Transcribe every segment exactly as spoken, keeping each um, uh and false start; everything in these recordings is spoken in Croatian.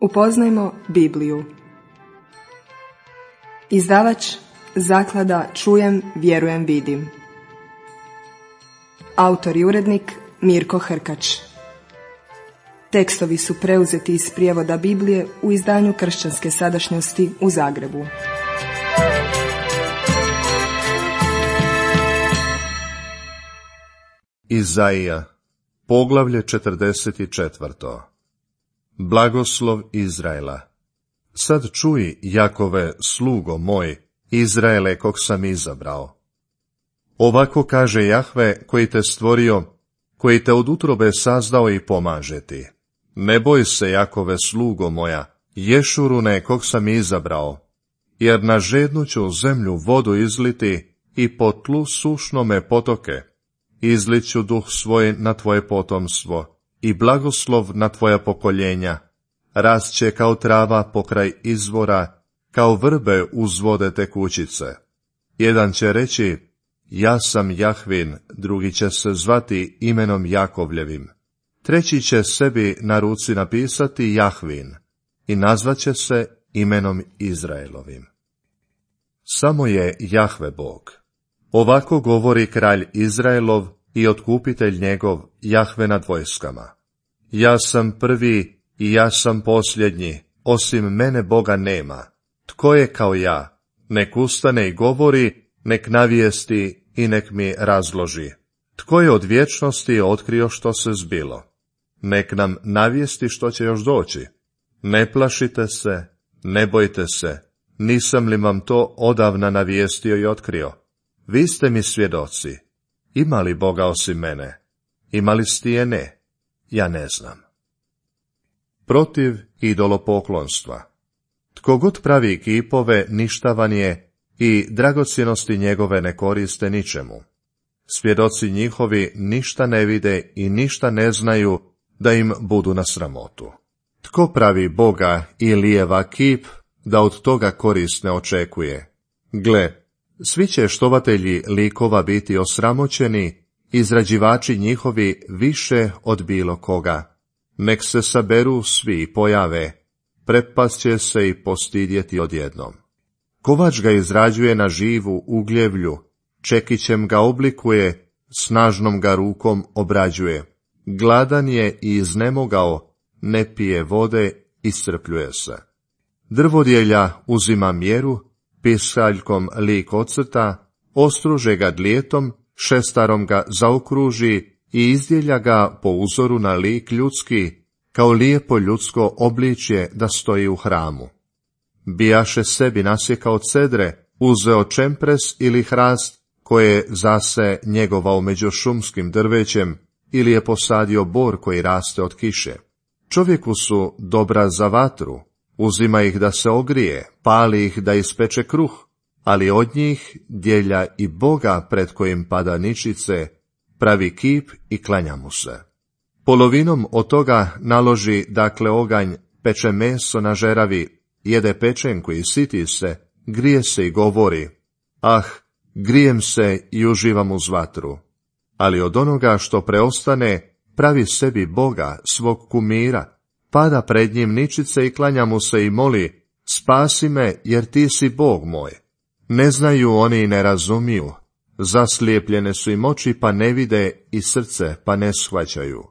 Upoznajmo Bibliju. Izdavač Zaklada Čujem, vjerujem, vidim. Autor i urednik Mirko Hrkač. Tekstovi su preuzeti iz prijevoda Biblije u izdanju Kršćanske sadašnjosti u Zagrebu. Izaija, poglavlje četrdeset četvrto. Blagoslov Izraela. Sad čuj, Jakove, slugo moj, Izraele, kog sam izabrao. Ovako kaže Jahve, koji te stvorio, koji te od utrobe sazdao i pomaže ti. Ne boj se, Jakove, slugo moja, Ješurune, kog sam izabrao, jer na žednu ću zemlju vodu izliti i po tlu sušnome potoke. Izliću duh svoj na tvoje potomstvo i blagoslov na tvoja pokoljenja. Rast će kao trava pokraj izvora, kao vrbe uz vode tekućice. Jedan će reći, ja sam Jahvin, drugi će se zvati imenom Jakovljevim. Treći će sebi na ruci napisati Jahvin i nazvaće se imenom Izraelovim. Samo je Jahve Bog. Ovako govori kralj Izraelov i otkupitelj njegov, Jahve nad vojskama. Ja sam prvi i ja sam posljednji, osim mene Boga nema. Tko je kao ja? Nek ustane i govori, nek navijesti i nek mi razloži. Tko je od vječnosti otkrio što se zbilo? Nek nam navijesti što će još doći. Ne plašite se, ne bojte se, nisam li vam to odavna navijestio i otkrio? Vi ste mi svjedoci. Ima li Boga osim mene? Ima li stijene? Ja ne znam. Protiv idolopoklonstva. Tko god pravi kipove, ništavan je i dragocjenosti njegove ne koriste ničemu. Svjedoci njihovi ništa ne vide i ništa ne znaju da im budu na sramotu. Tko pravi Boga i lijeva kip, da od toga korist ne očekuje? Gle, svi će štovatelji likova biti osramoćeni, izrađivači njihovi više od bilo koga. Nek se saberu svi i pojave, prepast će se i postidjeti odjednom. Kovač ga izrađuje na živu ugljevlju, čekićem ga oblikuje, snažnom ga rukom obrađuje. Gladan je i iznemogao, ne pije vode, iscrpljuje se. Drvodjelja uzima mjeru, pisaljkom lik ocrta, ostruže ga dlijetom, šestarom ga zaokruži i izdjelja ga po uzoru na lik ljudski, kao lijepo ljudsko obličje da stoji u hramu. Bijaše sebi nasjekao cedre, uzeo čempres ili hrast, koje je zase njegovao među šumskim drvećem, ili je posadio bor koji raste od kiše. Čovjeku su dobra za vatru, uzima ih da se ogrije, pali ih da ispeče kruh, ali od njih djelja i Boga pred kojim pada ničice, pravi kip i klanja mu se. Polovinom od toga naloži dakle oganj, peče meso na žeravi, jede pečenku i siti se, grije se i govori, ah, grijem se i uživam uz vatru. Ali od onoga što preostane, pravi sebi Boga, svog kumira, pada pred njim ničice i klanja mu se i moli, spasi me jer ti si Bog moj. Ne znaju oni i ne razumiju, zaslijepljene su im oči pa ne vide i srce pa ne shvaćaju.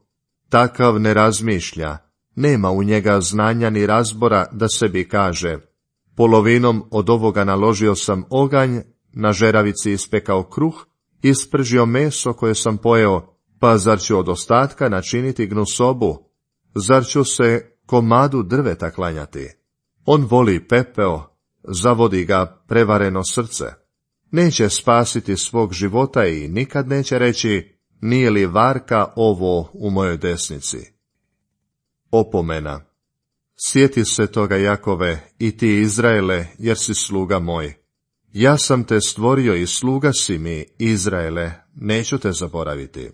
Takav ne razmišlja, nema u njega znanja ni razbora da sebi kaže, polovinom od ovoga naložio sam oganj, na žeravici ispekao kruh, ispržio meso koje sam pojeo, pa zar ću od ostatka načiniti gnusobu? Zar ću se komadu drveta klanjati? On voli pepeo, zavodi ga prevareno srce. Neće spasiti svog života i nikad neće reći, nije li varka ovo u mojoj desnici? Opomena. Sjeti se toga, Jakove, i ti, Izraele, jer si sluga moj. Ja sam te stvorio i sluga si mi, Izraele, neću te zaboraviti.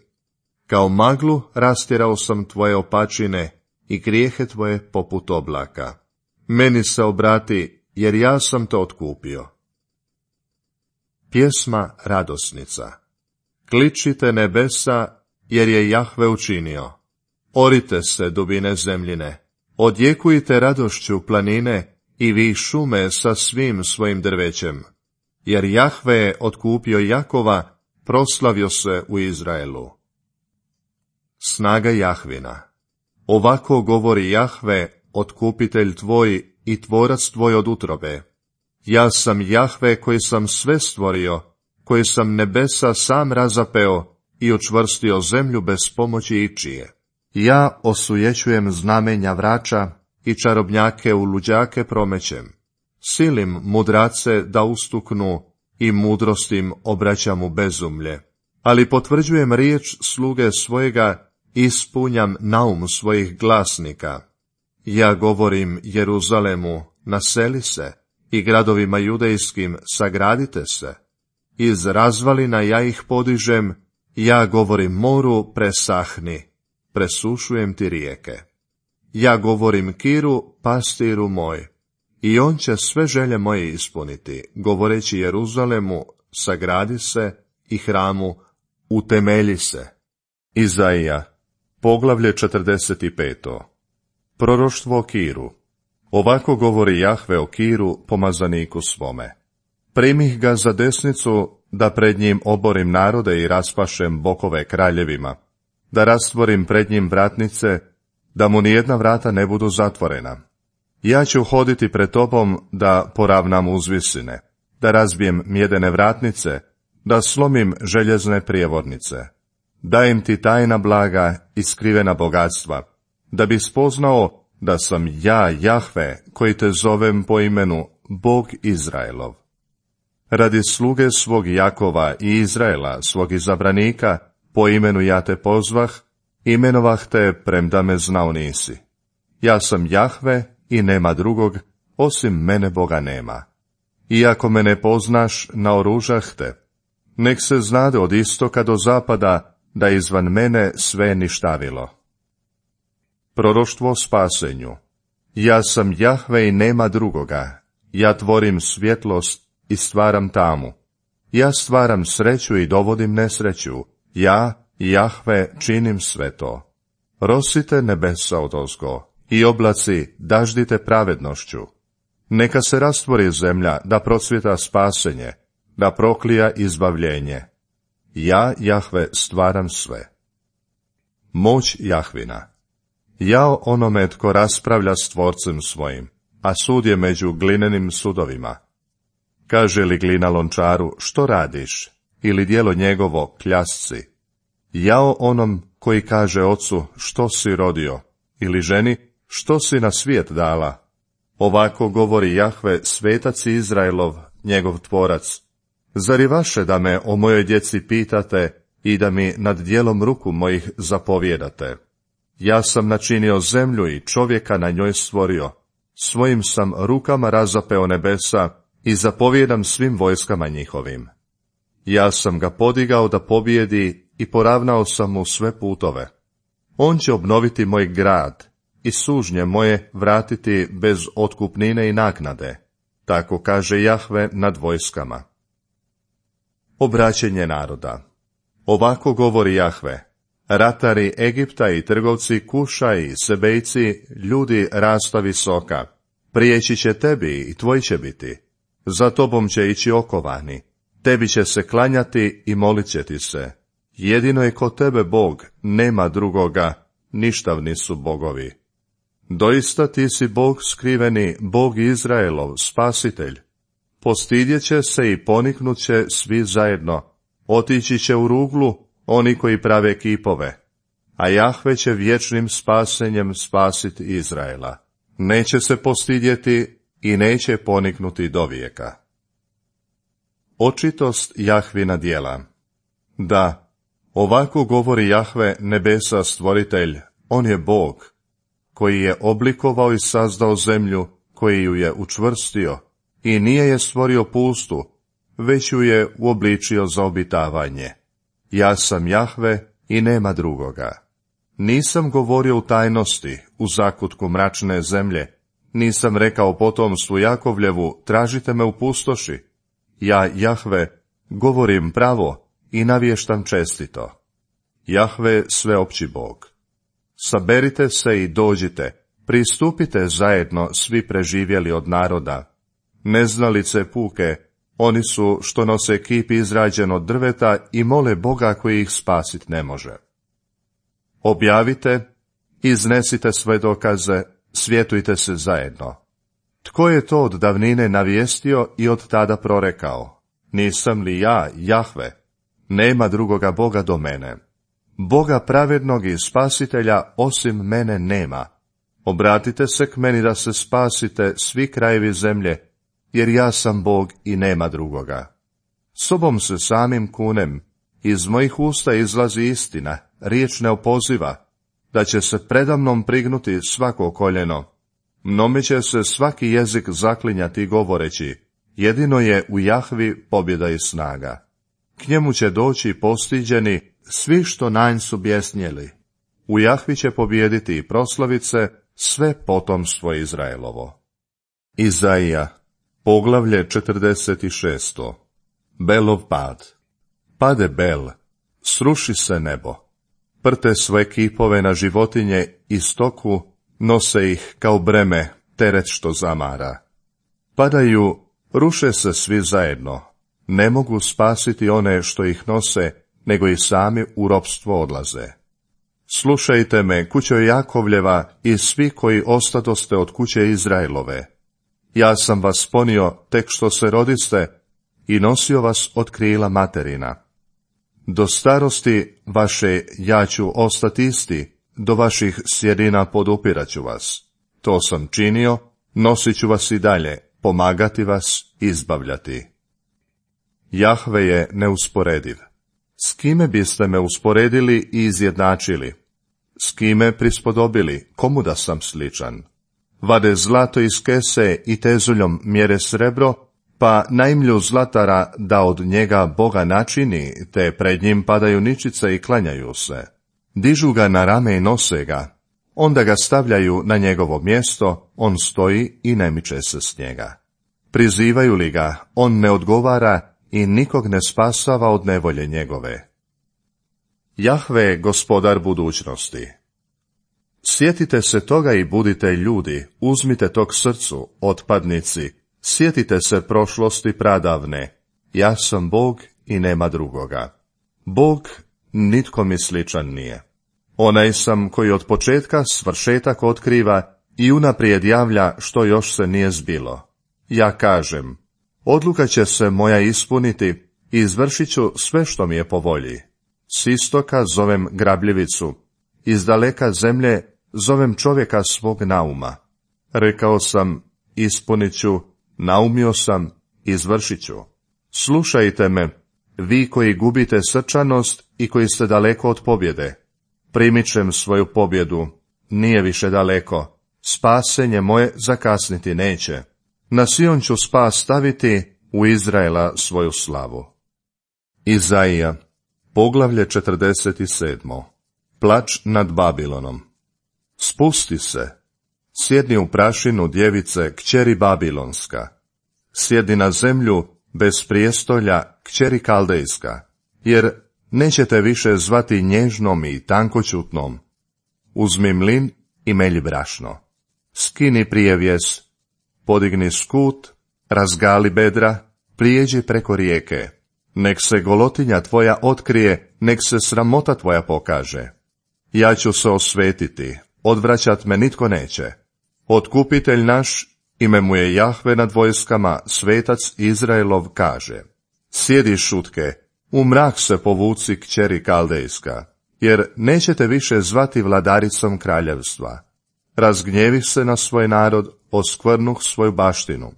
Kao maglu rastjerao sam tvoje opačine i grijehe tvoje poput oblaka. Meni se obrati, jer ja sam te otkupio. Pjesma radosnica. Kličite nebesa, jer je Jahve učinio. Orite se, dubine zemljine, Odjekujte radošću planine i vi šume sa svim svojim drvećem, jer Jahve je otkupio Jakova, proslavio se u Izraelu. Snaga Jahvina. Ovako govori Jahve, otkupitelj tvoj i tvorac tvoj od utrobe. Ja sam Jahve koji sam sve stvorio, koji sam nebesa sam razapeo i učvrstio zemlju bez pomoći ičije. Ja osujećujem znamenja vrača i čarobnjake u luđake promećem. Silim mudrace da ustuknu i mudrostim obraćam u bezumlje. Ali potvrđujem riječ sluge svojega i ispunjam naum svojih glasnika. Ja govorim Jeruzalemu, naseli se, i gradovima judejskim, sagradite se. Iz razvalina ja ih podižem, ja govorim moru, presahni, presušujem ti rijeke. Ja govorim Kiru, pastiru moj, i on će sve želje moje ispuniti, govoreći Jeruzalemu, sagradi se, i hramu, utemelji se. Izaija, poglavlje četrdeset pet. Proroštvo o Kiru. Ovako govori Jahve o Kiru, pomazaniku svome. Primih ga za desnicu, da pred njim oborim narode i raspašem bokove kraljevima, da rastvorim pred njim vratnice, da mu nijedna vrata ne budu zatvorena. Ja ću hoditi pred tobom da poravnam uzvisine, da razbijem mjedene vratnice, da slomim željezne prijevornice. Dajem ti tajna blaga i skrivena bogatstva, da bi spoznao da sam ja, Jahve, koji te zovem po imenu, Bog Izraelov. Radi sluge svog Jakova i Izraela, svog izabranika, po imenu ja te pozvah, imenovah te premda me znao nisi. Ja sam Jahve i nema drugog, osim mene Boga nema. Iako me ne poznaš, naoružah te. Nek se znade od istoka do zapada, da izvan mene sve ništavilo. Proroštvo o spasenju. Ja sam Jahve i nema drugoga. Ja tvorim svjetlost i stvaram tamu. Ja stvaram sreću i dovodim nesreću. Ja, Jahve, činim sve to. Rosite nebesa odozgo i oblaci daždite pravednošću. Neka se rastvori zemlja da procvjeta spasenje, da proklija izbavljenje. Ja, Jahve, stvaram sve. Moć Jahvina. Jao onome tko raspravlja s tvorcem svojim, a sud je među glinenim sudovima. Kaže li glina lončaru, što radiš, ili djelo njegovo, kljasci. Jao onom koji kaže ocu, što si rodio, ili ženi, što si na svijet dala. Ovako govori Jahve, svetac Izraelov, njegov tvorac. Zar je vaše da me o mojoj djeci pitate i da mi nad djelom ruku mojih zapovjedate? Ja sam načinio zemlju i čovjeka na njoj stvorio. Svojim sam rukama razapeo nebesa i zapovjedam svim vojskama njihovim. Ja sam ga podigao da pobjedi i poravnao sam mu sve putove. On će obnoviti moj grad i sužnje moje vratiti bez otkupnine i naknade. Tako kaže Jahve nad vojskama. Obraćenje naroda. Ovako govori Jahve. Ratari Egipta i trgovci Kuša i Sebejci, ljudi rasta visoka, prijeći će tebi i tvoj će biti. Za tobom će ići okovani, tebi će se klanjati i molit će ti se. Jedino je kod tebe Bog, nema drugoga, ništavni su bogovi. Doista ti si Bog skriveni, Bog Izraelov, spasitelj. Postidjet će se i poniknut će svi zajedno, otići će u ruglu oni koji prave kipove, a Jahve će vječnim spasenjem spasiti Izraela. Neće se postidjeti i neće poniknuti dovijeka. Očitost Jahvina djela. Da, ovako govori Jahve, nebesa stvoritelj, on je Bog, koji je oblikovao i sazdao zemlju, koji ju je učvrstio, i nije je stvorio pustu, već ju je uobličio za obitavanje. Ja sam Jahve i nema drugoga. Nisam govorio u tajnosti, u zakutku mračne zemlje, nisam rekao potomstvu Jakovljevu, tražite me u pustoši. Ja, Jahve, govorim pravo i navještam čestito. Jahve, sveopći Bog. Saberite se i dođite, Pristupite zajedno svi preživjeli od naroda. Neznalice puke, oni su što nose kip izrađen od drveta i mole Boga koji ih spasit ne može. Objavite, iznesite svoje dokaze, svjetujte se zajedno. Tko je to od davnine navijestio i od tada prorekao? Nisam li ja, Jahve? Nema drugoga Boga do mene. Boga pravednog i spasitelja osim mene nema. Obratite se k meni da se spasite svi krajevi zemlje, jer ja sam Bog i nema drugoga. Sobom se samim kunem, iz mojih usta izlazi istina, riječ ne opoziva, da će se predamnom prignuti svako koljeno. Mnome će se svaki jezik zaklinjati govoreći, jedino je u Jahvi pobjeda i snaga. K njemu će doći postiđeni svi što nanj su bjesnjeli. U Jahvi će pobijediti i proslavice sve potomstvo Izraelovo. Izaija, poglavlje četrdeset šest. Belov pad. Pade Bel, sruši se nebo. Prte svoje kipove na životinje i stoku, nose ih kao breme, teret što zamara. Padaju, ruše se svi zajedno. Ne mogu spasiti one što ih nose, nego i sami u ropstvo odlaze. Slušajte me, kućo Jakovljeva i svi koji ostadoste od kuće Izraelove. Ja sam vas ponio tek što se rodiste i nosio vas od krila materina. Do starosti vaše ja ću ostati isti, do vaših sjedina podupiraću vas. To sam činio, nosit ću vas i dalje, pomagati vas, izbavljati. Jahve je neusporediv. S kime biste me usporedili i izjednačili? S kime prispodobili, komu da sam sličan? Vade zlato iz kese i tezuljom mjere srebro, pa najmlju zlatara da od njega Boga načini, te pred njim padaju ničice i klanjaju se. Dižu ga na rame i nose ga, onda ga stavljaju na njegovo mjesto, on stoji i ne miče se s njega. Prizivaju li ga, on ne odgovara i nikog ne spasava od nevolje njegove. Jahve je gospodar budućnosti. Sjetite se toga i budite ljudi, uzmite tog srcu, otpadnici, sjetite se prošlosti pradavne. Ja sam Bog i nema drugoga. Bog nitko mi sličan nije. Onaj sam koji od početka svršetak otkriva i unaprijed javlja što još se nije zbilo. Ja kažem, odluka će se moja ispuniti i izvršit ću sve što mi je po volji. S istoka zovem grabljivicu, iz daleka zemlje zovem čovjeka svog nauma. Rekao sam, ispunit ću, naumio sam, izvršit ću. Slušajte me, vi koji gubite srčanost i koji ste daleko od pobjede. Primičem svoju pobjedu, nije više daleko, spasenje moje zakasniti neće. Na Sion ću spas staviti, u Izraela svoju slavu. Izaija, poglavlje četrdeset sedam. Plač nad Babilonom. Spusti se, sjedni u prašinu djevice, kćeri Babilonska. Sjedni na zemlju bez prijestolja, kćeri Kaldejska, jer nećete više zvati nježnom i tankoćutnom. Uzmi mlin i melji brašno. Skini prijevjes, podigni skut, razgali bedra, prijeđi preko rijeke. Nek se golotinja tvoja otkrije, nek se sramota tvoja pokaže. Ja ću se osvetiti, odvraćat me nitko neće. Otkupitelj naš, ime mu je Jahve nad vojskama, svetac Izraelov kaže. Sjedi šutke, u mrak se povuci kćeri Kaldejska, jer nećete više zvati vladaricom kraljevstva. Razgnjevih se na svoj narod, oskvrnuh svoju baštinu.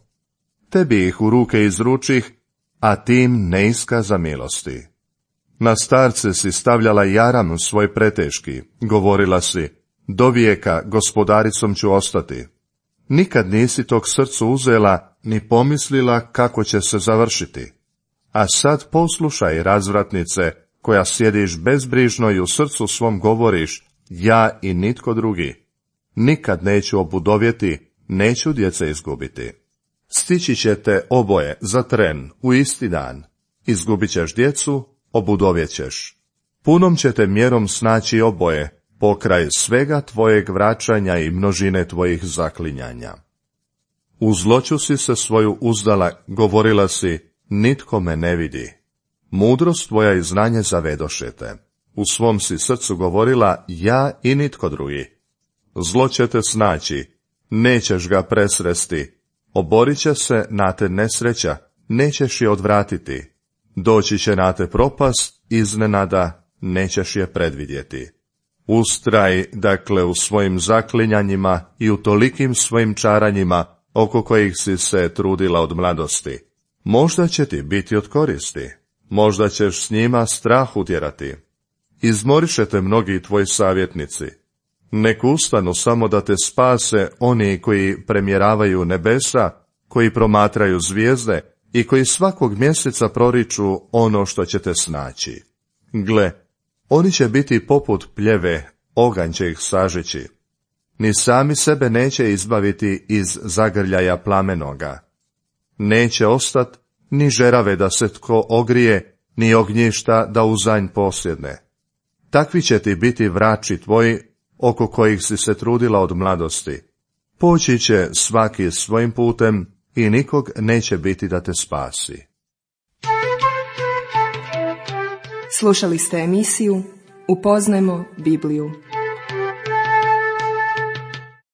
Tebi ih u ruke izručih, a tim ne iskaza milosti. Na starce si stavljala jaram svoj preteški, govorila si, do vijeka gospodaricom ću ostati. Nikad nisi tog srcu uzela, ni pomislila kako će se završiti. A sad poslušaj, razvratnice, koja sjediš bezbrižno i u srcu svom govoriš, ja i nitko drugi. Nikad neću obudovjeti, neću djece izgubiti. Stići ćete oboje za tren u isti dan. Izgubit ćeš djecu, obudovjet ćeš. Punom ćete mjerom snaći oboje, pokraj svega tvojeg vraćanja i množine tvojih zaklinjanja. U zloću si se svoju uzdala, govorila si, nitko me ne vidi. Mudrost tvoja i znanje zavedoše te. U svom si srcu govorila, ja i nitko drugi. Zlo će te snaći, nećeš ga presresti, oborit će se na te nesreća, nećeš je odvratiti. Doći će na te propast, iznenada, nećeš je predvidjeti. Ustraj, dakle, u svojim zaklinjanjima i u tolikim svojim čaranjima, oko kojih si se trudila od mladosti. Možda će ti biti od koristi, možda ćeš s njima strah utjerati. Izmoriše te mnogi tvoji savjetnici. Nek ustanu samo da te spase oni koji premjeravaju nebesa, koji promatraju zvijezde i koji svakog mjeseca proriču ono što će te snaći. Gle, oni će biti poput pljeve, oganj će ih sažeći. Ni sami sebe neće izbaviti iz zagrljaja plamenoga. Neće ostat ni žerave da se tko ogrije, ni ognjišta da uzanj posjedne. Takvi će ti biti vrači tvoji, oko kojih si se trudila od mladosti. Poći će svaki svojim putem i nikog neće biti da te spasi. Slušali ste emisiju Upoznajmo Bibliju.